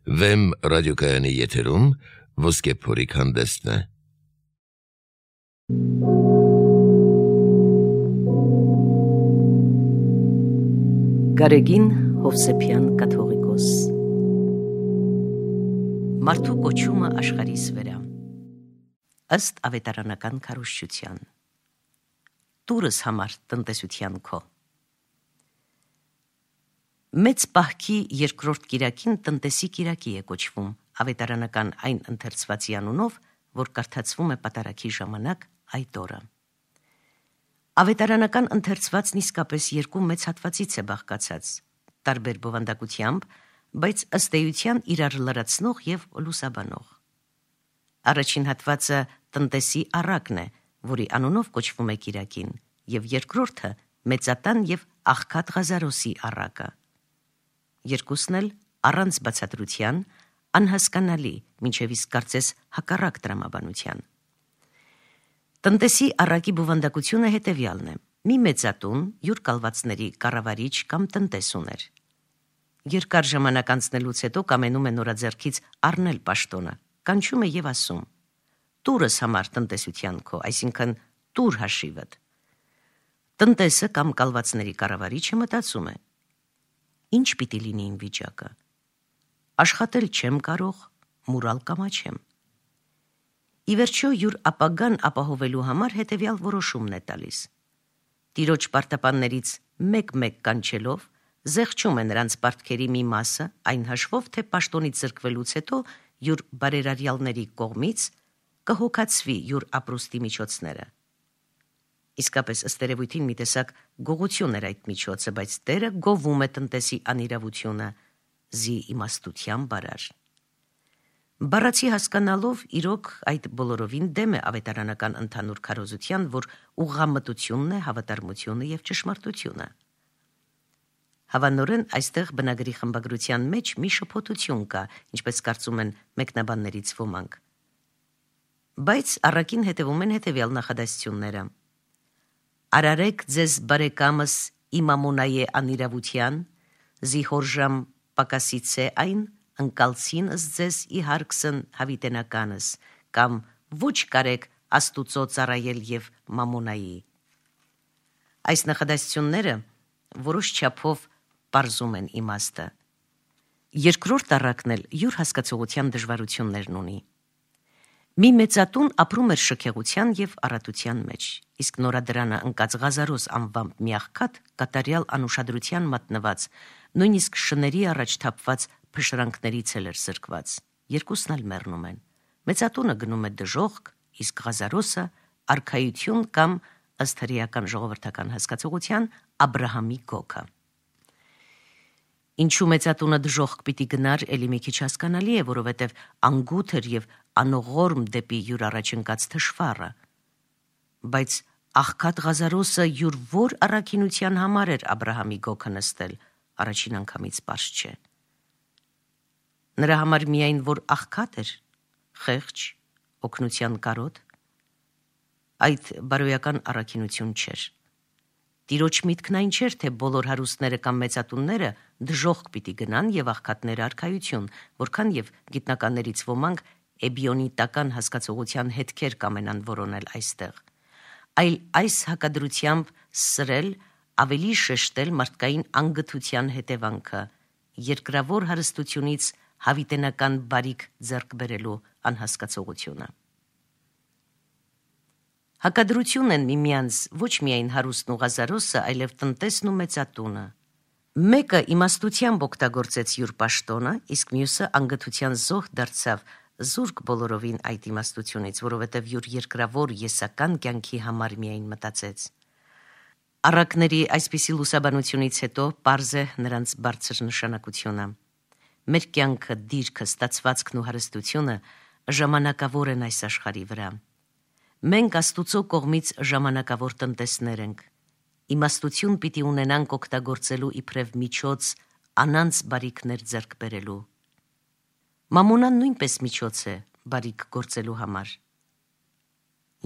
Վեմ ռադիոկայանի եթերում ոսկե փորիկ հանդեսն է։ Գարեգին Հովսեփյան կաթողիկոս Մարդու կոչումը աշխարհիս վրա ըստ ավետարանական քարոզչության Տուրս համար տնտեսության քո Մեծ պահքի երկրորդ կիրակին տնտեսի կիրակի է կոչվում ավետարանական այն ընթերցվածի անունով, որ կարդացվում է պատարագի ժամանակ այդ օրը։ Ավետարանական ընթերցվածն իսկապես երկու մեծ հատվածից է բաղկացած, տարբեր բովանդակությամբ, բայց ըստ էության իրար լրացնող եւ լուսաբանող։ Առաջին հատվածը տնտեսի առակն է, որի անունով կոչվում է կիրակին, եւ երկրորդը մեծատան եւ աղքատ Ղազարոսի առակը։ Երկուսն էլ առանց բացատրության, անհասկանալի, մինչև իսկ կարծես հակառակ տրամաբանության։ Տնտեսի առակի բովանդակությունը հետևյալն է. մի մեծատուն յուր կալվածների կառավարիչ կամ տնտես ուներ։ Երկար ժամանակ անցնելուց հետո կամենում է նորաձեռքից առնել պաշտոնը, կանչում է եւ ասում. «Տուրս համար տնտեսության քո, այսինքն տուր հաշիվդ»։ Տնտեսը կամ կալվածների կառավարիչը մտածում է. Ինչ պիտի լինի իմ վիճակը։ Աշխատել չեմ կարող, մուրալ կամաչեմ։ Ի վերջո յուր ապագան ապահովելու համար հետևյալ որոշումն է տալիս։ Տիրոջ պարտապաններից մեկ-մեկ կանչելով, զեղչում է նրանց պարտքերի մի մասը, այն հաշվով, թե պաշտոնից զրկվելուց հետո յուր բարերարյալների կողմից կհոգացվի յուր ապրուստի միջոցները։ Իսկապես ըստ երևույթին մի տեսակ գողություն էր այդ միջոցը, բայց Տերը գովում է տնտեսի անիրավությունը, զի իմաստության բարար։ Բառացի հասկանալով իրոք այդ բոլորովին դեմ է ավետարանական ընդհանուր քարոզության, որ ուղղամտությունն է հավատարմությունը եւ ճշմարտությունը։ Հավանորեն այստեղ բնագրի խմբագրության մեջ մի շփոթություն կա, ինչպես կարծում են մեկնաբաններից ոմանք։ Բայց առաքին հետևում են հետևյալ նախադասությունները. Արարեք ձեզ բարեկամս իմ ամոնայե անիրավության, զիհորժամ պակասից է այն, ընկալցին ըս ձեզ ի հարկսն հավիտենականս, կամ ոչ կարեք աստուծո ծառայել եւ մամոնայի։ Այս նախադասությունները որոշ չափով պարզում են իմաստը։ Երկրորդ առակն էլ յուր հասկացողության դժվարություններն ունի։ Մի մեծատուն ապրում էր շքեղության եւ առատության մեջ, իսկ նորադրանը ընկած Ղազարոս անվամբ մի աղքատ կատարյալ անուշադրության մատնված, նույնիսկ շների առաջ թափված փշրանքներից էլ էր զրկված։ Երկուսն էլ մեռնում են։ Մեծատունը գնում է դժոխք, իսկ Ղազարոսը արքայություն կամ ըստ հրեական ժողովրդական հասկացողության Աբրահամի գոգը։ Ինչու մեծատունը դժոխք պիտի գնար, էլի մի քիչ հասկանալի է, որովհետև անգութ էր եւ անողորմ դեպի յուր առաջ ընկած թշվառը։ Բայց աղքատ Ղազարոսը յուր որ առաքինության համար էր Աբրահամի գոգը նստել, առաջին անգամից պարզ չէ։ Նրա համար միայն որ աղքատ էր, խեղճ, օգնության կարոտ, այդ բարոյական առաքինություն չէր։ Տիրոջ միտքն այն չէր, թե բոլոր հարուստները կամ մեծատունները դժոխք պիտի գնան եւ աղքատները արքայություն, որքան եւ գիտնականներից ոմանք էբիոնիտական հասկացողության հետքեր կամենան որոնել այստեղ, այլ այս հակադրությամբ սրել, ավելի շեշտել մարդկային անգթության հետևանքը, երկրավոր հարստությունից հավիտենական բարիք ձեռք բերելու անհասկացողությունը։ Հակադրություն են միմյանց ոչ միայն հարուստն ու Ղազարոսը, այլև տնտեսն ու մեծատունը։ Մեկը իմաստությամբ օգտագործեց յուր պաշտոնը, իսկ մյուսը անգթության զոհ դարձավ զուրկ բոլորովին այդ իմաստությունից, որովհետև յուր երկրավոր եսական կյանքի համար միայն մտածեց։ Առակների այսպիսի լուսաբանությունից հետո պարզ է նրանց բարձր նշանակությունը։ Մեր կյանքը, դիրքը, ստացվածքն ու հարստությունը ժամանակավոր են այս աշխարհի վրա։ Մենք Աստուծո կողմից ժամանակավոր տնտեսներ ենք։ Իմաստություն պիտի ունենանք օգտագործելու իբրև միջոց անանց բարիքներ ձեռք բերելու։ Մամոնան նույնպես միջոց է բարիք գործելու համար։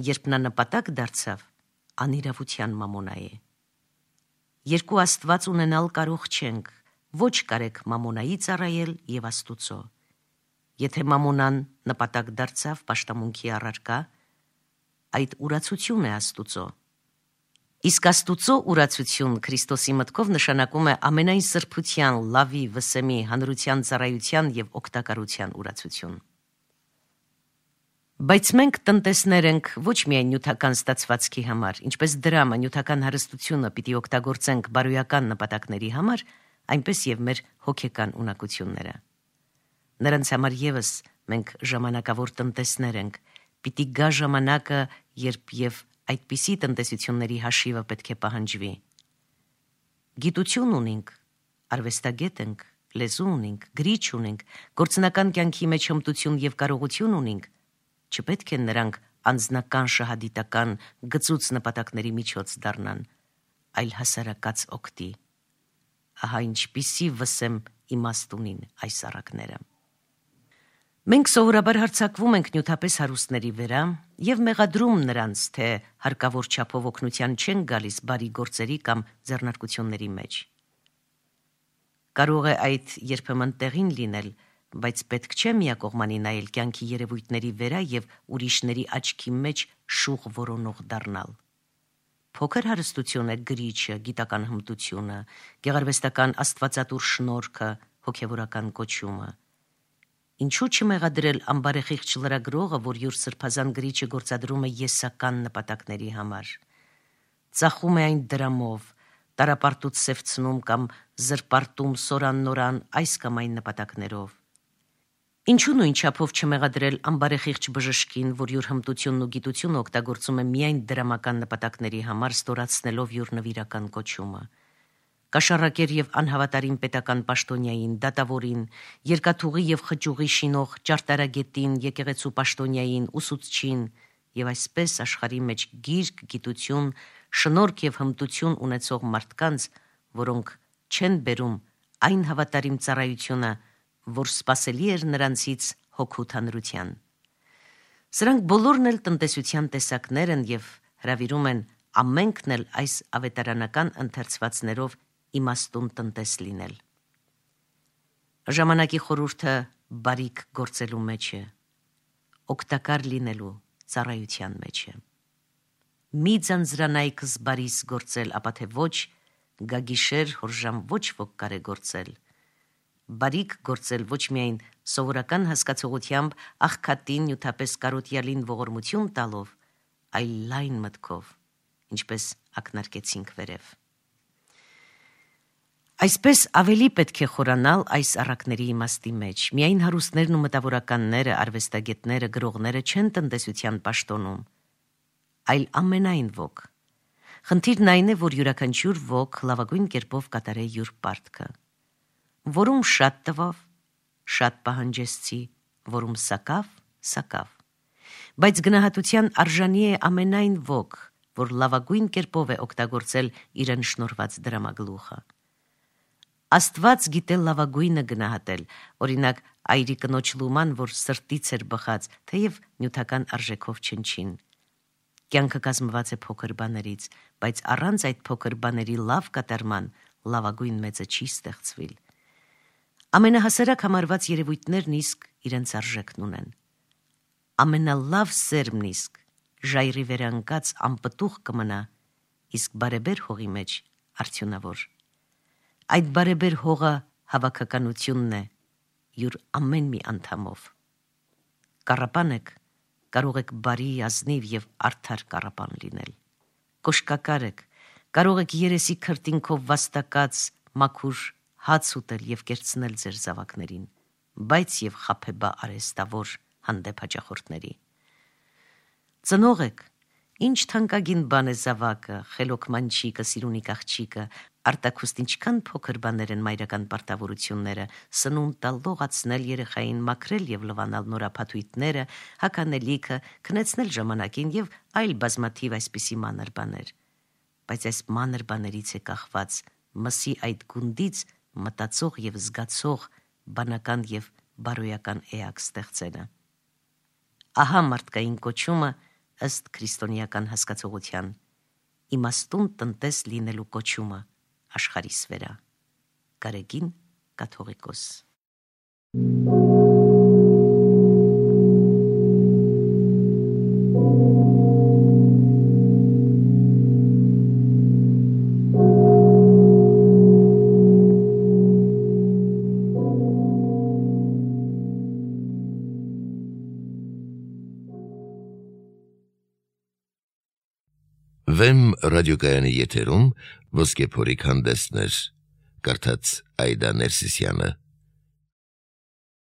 Երբ նա նպատակ դարձավ, անիրավության մամոնա է։ Երկու Աստված ունենալ կարող չենք, ոչ կարեք մամոնայի ծառայել եւ Աստուծո։ Եթե մամոնան նպատակ դարձավ պաշտամունքի առարկա, այդ ուրացություն է Աստուծո։ Իսկ Աստուծո ուրացություն Քրիստոսի մտքով նշանակում է ամենայն սրբության, լավի, վսեմի, հանրության ծառայության եւ օգտակարության ուրացություն։ Բայց մենք տնտեսներ ենք ոչ միայն նյութական ստացվածքի համար, ինչպես դրամը նյութական հարստությունը պիտի օգտագործենք բարոյական նպատակների համար, այնպես եւ մեր հոգեկան ունակությունները։ Նրանց համար եւս մենք ժամանակավոր տնտեսներ ենք, պիտի գա ժամանակը, երբ եւ այդպիսի տնտեսությունների հաշիվը պետք է պահանջվի։ Գիտություն ունենք, արվեստագետ ենք, լեզու ունենք, գրիչ ունենք, գործնական կյանքի մեջ հմտություն եւ կարողություն ունենք, չպետք է նրանք անձնական շահադիտական գծուց նպատակների միջոց դառնան, այլ հասարակած օգտի։ Ահա ինչպիսի վսեմ իմաստ ունին այս առակները։ Մենք սովորաբար հարձակվում ենք նյութապես հարուստների վրա եւ մեղադրում նրանց, թե հարկավոր չափով օգնության չեն գալիս բարի գործերի կամ ձեռնարկությունների մեջ։ Կարող է այդ երբեմն տեղին լինել, բայց պետք չէ միակողմանի նայել կյանքի երևույթների վրա եւ ուրիշների աչքի մեջ շուխ որոնող դառնալ։ Փոքր հարստություն է գրիչը, գիտական հմտությունը, գեղարվեստական աստվածատուր շնորհքը, հոգեվորական կոչումը։ Ինչու չմեղադրել ամբարեխիղճ լրագրողը, որ յուր սրբազան գրիչը գործադրում է եսական նպատակների համար։ Ծախում է այն դրամով, տարապարտուց սևցնում կամ զրպարտում սորան-նորան այս կամ այն նպատակներով։ Ինչու նույն չափով չմեղադրել ամբարեխիղճ բժշկին, որ յուր հմտությունն ու գիտությունը օգտագործում է միայն դրամական նպատակների համար, ստորացնելով յուր նվիրական կոչումը։ Կաշառակեր եւ անհավատարիմ պետական պաշտոնյային, դատավորին, երկաթուղի եւ խճուղի շինող ճարտարագետին, եկեղեցու պաշտոնյային, ուսուցչին եւ այսպես աշխարհի մեջ գիրք, գիտություն, շնորհք եւ հմտություն ունեցող մարդկանց, որոնք չեն բերում այն հավատարիմ ծառայությունը, որ սпасելի էր նրանցից հոգու թանրության։ Սրանք բոլորն էլ տնտեսության տեսակներ են եւ հրավիրում են ամենքն էլ այս ավետարանական ընթերցվածներով իմաստուն տնտես լինել։ Ժամանակի խորհուրդը բարիք գործելու մեջ է, օգտակար լինելու ծառայության մեջ է։ Մի ձանձրանայք զբարիս գործել, ապա թե ոչ, գագիշեր հորժամ ոչ ոք կարե գործել։ Բարիք գործել ոչ միայն սովորական հասկացողությամբ աղքատին նյութապես կարոտյալին ողորմություն տալով, այլ լայն մտքով, ինչպես ակնարկեցինք վերև։ Այսպես ավելի պետք է խորանալ այս առակների իմաստի մեջ։ Միայն հարուստներն ու մտավորականները, արվեստագետները, գրողները չեն տնտեսության պաշտոնում, այլ ամենայն ոք։ Խնդիրն այն է, որ յուրաքանչյուր ոք լավագույն կերպով կատարե յուր պարտքը։ Որում շատ տվավ, շատ պահանջեցի, որում սակավ։ Բայց գնահատության արժանի է ամենայն ոք, որ լավագույն կերպով է օգտագործել իրեն շնորհված դրամագլուխը։ Աստված գիտե լավագույնը գնահատել, օրինակ այրի կնոջ լուման, որ սրտից էր բխած, թեև նյութական արժեքով չնչին։ Կյանքը կազմված է փոքր բաներից, բայց առանց այդ փոքր բաների լավ կատարման լավագույն մեծը չի ստեղծվել։ Ամենահասարակ համարված երևույթներն իսկ իրենց արժեքն ունեն։ Ամենալավ սերմն իսկ ժայռի վերանկած անպտուղ կմնա, իսկ բարեբեր հողի մեջ արդյունավոր։ Այդ բարեբեր հողը հավաքականությունն է յուր ամեն մի անդամով։ Կառապան եք, կարող եք բարի, ազնիվ եւ արդար կառապան լինել։ Կոշկակար եք, կարող եք երեսի քրտինքով վաստակած մաքուր հաց ուտել եւ կերցնել ձեր զավակներին, բայց եւ խաբեբա արեստավոր հանդեպ հաճախորդների։ Ծնող եք, ինչ թանկագին բան է զավակը, խելոք մանչիկը, սիրունիկ աղջիկը, արտաքուստ ինչքան փոքր բաներ են մայրական պարտավորությունները, սնունդ տալ, լողացնել երեխային, մաքրել եւ լվանալ նորափաթույթները, հականելիքը, քնեցնել ժամանակին եւ այլ բազմաթիվ այսպիսի մանր բաներ։ Բայց այս մանր բաներից է կախված մսի այդ գունդից մտածող եւ զգացող բանական եւ բարոյական էակ ստեղծելը։ Ահա մարդկային կոչումը ըստ քրիստոնեական հասկացողության, իմաստուն տնտես լինելու կոչումը աշխարհիս վրա։ Գարեգին Կաթողիկոս։ Վեմ ռադիոկայանի եթերում ոսկե փորիկ հանդեսներ, կարդաց Այդա Ներսիսյանը։